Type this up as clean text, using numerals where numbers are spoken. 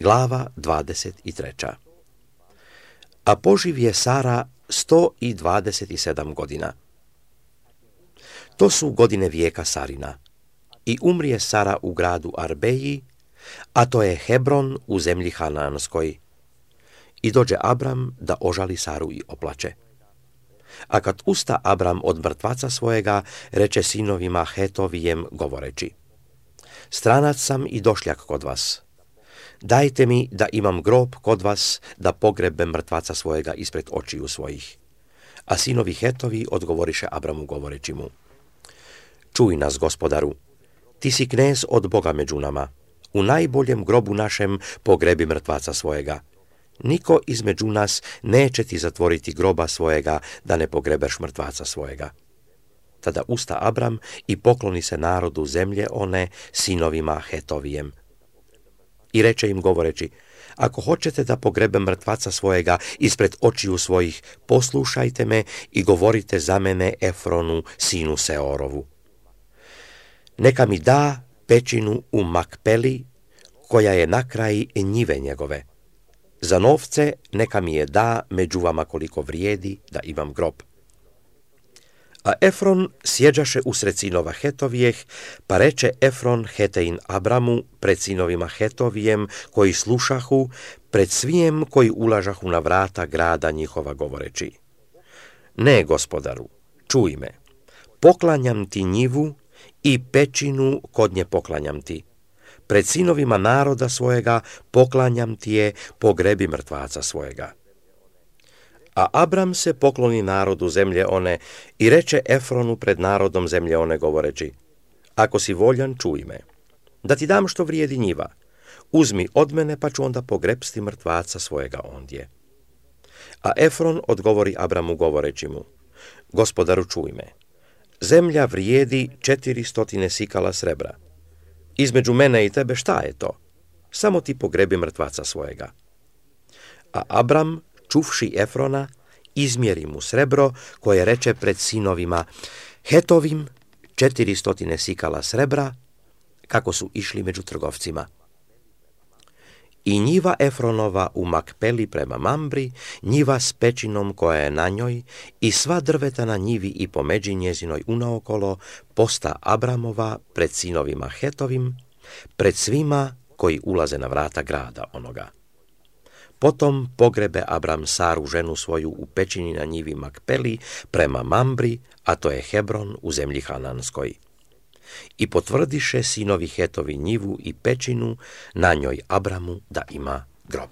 Glava 23. A poživje Sara 127 godina. To su godine vijeka Sarina. I umrije Sara u gradu Arbeji, a to je Hebron u zemlji Hananskoj. I dođe Abram da ožali Saru i oplače. A kad usta Abram od mrtvaca svojega, reče sinovima Hetovijem govoreći: Stranac sam i došljak kod vas. Dajte mi da imam grob kod vas, da pogrebem mrtvaca svojega ispred očiju svojih. A sinovi Hetovi odgovoriše Abramu govoreći mu: Čuj nas, gospodaru, ti si knez od Boga među nama. U najboljem grobu našem pogrebi mrtvaca svojega. Niko između nas neće ti zatvoriti groba svojega, da ne pogrebeš mrtvaca svojega. Tada usta Abram i pokloni se narodu zemlje one, sinovima Hetovijem. I reče im govoreći: Ako hoćete da pogrebem mrtvaca svojega ispred očiju svojih, poslušajte me i govorite za mene Efronu, sinu Seorovu. Neka mi da pećinu u Makpeli, koja je na kraji njive njegove. Za novce neka mi je da među vama koliko vrijedi, da imam grob. A Efron sjeđaše usred sinova Hetovijeh, pa reče Efron Hetein Abramu pred sinovima Hetovijem, koji slušahu, pred svijem koji ulažahu na vrata grada njihova govoreći: Ne, gospodaru, čuj me, poklanjam ti njivu i pećinu kod nje poklanjam ti. Pred sinovima naroda svojega poklanjam ti je, pogrebi mrtvaca svojega. A Abram se pokloni narodu zemlje one i reče Efronu pred narodom zemlje one govoreći: Ako si voljan, čuj me, da ti dam što vrijedi njiva. Uzmi od mene, pa ću onda pogrebsti mrtvaca svojega ondje. A Efron odgovori Abramu govoreći mu: Gospodaru, čuj me, zemlja vrijedi 400 sikala srebra. Između mene i tebe šta je to? Samo ti pogrebi mrtvaca svojega. A Abram, čuvši Efrona, izmjeri mu srebro, koje reče pred sinovima Hetovim 400 sikala srebra, kako su išli među trgovcima. I njiva Efronova u Makpeli prema Mambri, njiva s pećinom koja je na njoj, i sva drveta na njivi i po međi njezinoj unaokolo, posta Abramova pred sinovima Hetovim, pred svima koji ulaze na vrata grada onoga. Potom pogrebe Abram Saru, ženu svoju, u pećini na njivi Makpeli prema Mambri, a to je Hebron u zemlji Hananskoj. I potvrdiše sinovi Hetovi njivu i pećinu, na njoj Abramu da ima grob.